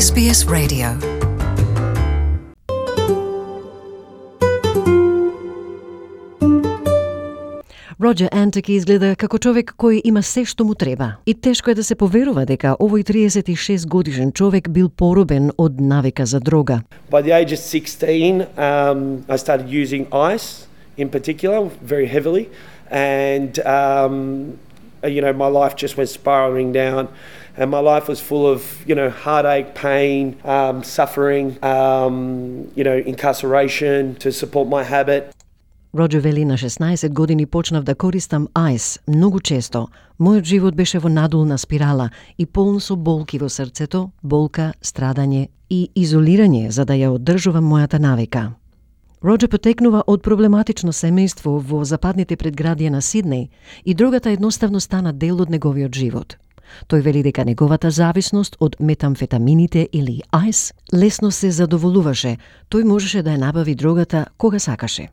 SBS Radio. Роџер Антеки изгледа како човек кој има се што му треба. И тешко е да се поверува дека овој 36 годишен човек бил поробен од навика за дрога. By the age of 16, I started using ice in particular, very heavily, and my life just went spiraling down, and my life was full of, heartache, pain, suffering, incarceration to support my habit. Роџер вели, на 16 години почнав да користам ајс многу често. Мојот живот беше во надолна спирала и полн со болки во срцето, болка, страдање и изолирање за да ја оддржувам мојата навика. Роџер потекнува од проблематично семејство во западните предградија на Сиднеј и дрогата едноставно стана дел од неговиот живот. Тој вели дека неговата зависност од метамфетамините или ајс лесно се задоволуваше. Тој можеше да ја набави дрогата кога сакаше.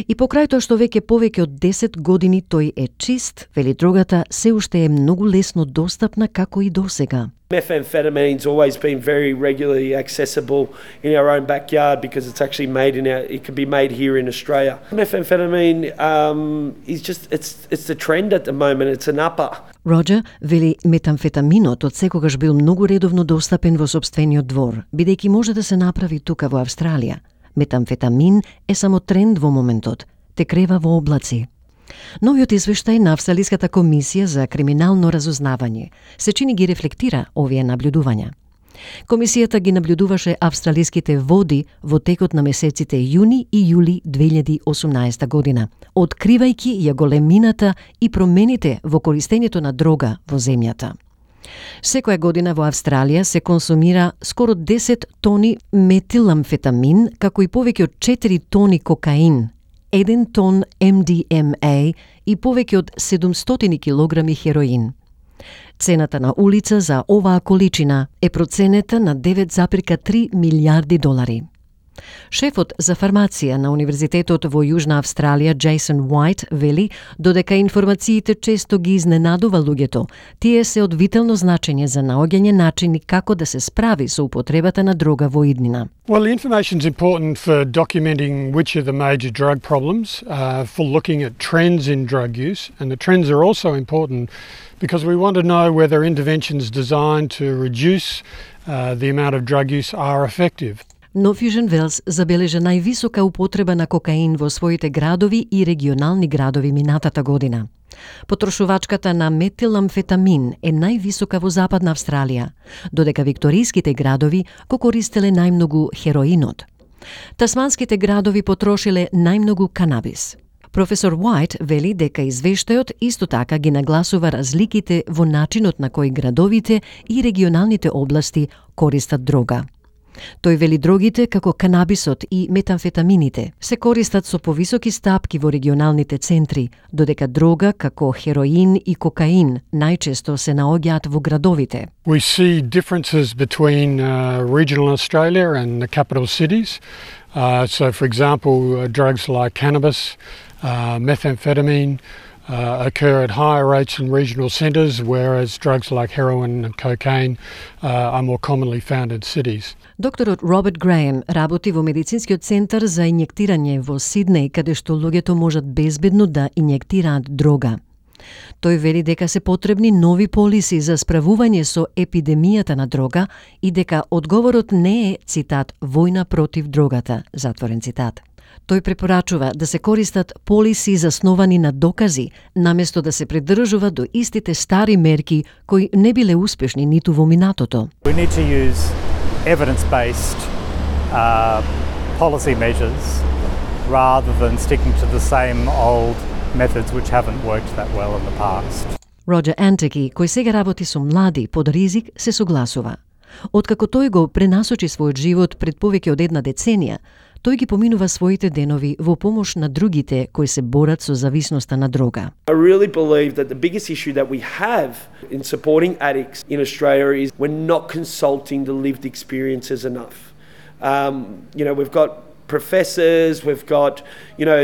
И покрај тоа што веќе повеќе од 10 години тој е чист, вели дрогата се уште е многу лесно достапна како и досега. Methamphetamine's always been very regularly accessible in our own backyard because it's actually it can be made here in Australia. Methamphetamine is just it's the trend at the moment. It's an upper. Роџер вели метамфетаминот од секогаш бил многу редовно достапен во сопствениот двор, бидејќи може да се направи тука во Австралија. Метамфетамин е само тренд во моментот, те крева во облаци. Новиот извештај на Австралиската комисија за криминално разузнавање се чини ги рефлектира овие наблюдувања. Комисијата ги наблюдуваше австралиските води во текот на месеците јуни и јули 2018 година, откривајќи ја големината и промените во користењето на дрога во земјата. Секоја година во Австралија се консумира скоро 10 тони метиламфетамин, како и повеќе од 4 тони кокаин, 1 тон MDMA и повеќе од 700 килограми хероин. Цената на улица за оваа количина е проценета на 9,3 милиарди долари. Шефот за фармација на Универзитетот во Јужна Австралија, Джейсон Уајт, вели додека информациите често ги изненадува луѓето, тие се од витално значење за наоѓање начини како да се справи со употребата на дрога во иднина. Well, the information is important for documenting which are the major drug problems, for looking at trends in drug use, and the trends are also important because we want to know whether interventions designed to reduce the amount of drug use are effective. Но Fusion Wells забележа највисока употреба на кокаин во своите градови и регионални градови минатата година. Потрошувачката на метиламфетамин е највисока во Западна Австралија, додека викториските градови го користеле најмногу хероинот. Тасманските градови потрошиле најмногу канабис. Професор Уајт вели дека извештајот исто така ги нагласува разликите во начинот на кој градовите и регионалните области користат дрога. Тој вели дрогите, како канабисот и метамфетамините, се користат со повисоки стапки во регионалните центри, додека дрога, како хероин и кокаин, најчесто се наоѓаат во градовите. We see differences between regional Australia and the capital cities. So, for example, drugs like cannabis, methamphetamine, occur at higher rates in regional centres, whereas drugs like heroin and cocaine are more commonly found in cities. Докторот Роберт Греем работи во медицинскиот центар за инјектирање во Сиднеј, каде што луѓето можат безбедно да инјектираат дрога. Тој вели дека се потребни нови полиси за справување со епидемијата на дрога и дека одговорот не е, цитат, војна против дрогата, затворен цитат. Тој препорачува да се користат полиси засновани на докази, наместо да се придржува до истите стари мерки кои не биле успешни ниту во минатото. We need to use evidence-based policy measures rather than sticking to the same old methods which haven't worked that well in the past. Роџер Антеки, кој сега работи со млади под ризик, се согласува. Откако тој го пренасочи својот живот пред повеќе од една деценија, тој ги поминува своите денови во помош на другите кои се борат со зависноста на дрога. I really believe that the biggest issue that we have in supporting addicts in Australia is we're not consulting the lived experiences enough. We've got professors, we've got,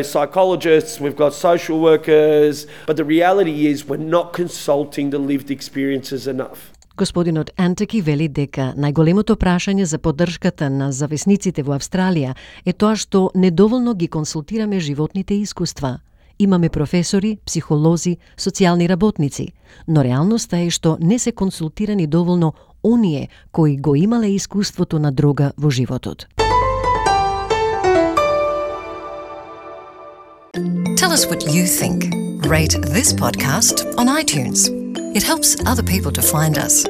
psychologists, we've got social workers, but the reality is we're not consulting the lived experiences enough. Господинот Антеки вели дека најголемото прашање за поддршката на зависниците во Австралија е тоа што недоволно ги консултираме животните искуства. Имаме професори, психолози, социјални работници, но реалноста е што не се консултирани доволно оние кои го имале искуството на дрога во животот. Tell us what you think. Rate this podcast on iTunes. It helps other people to find us.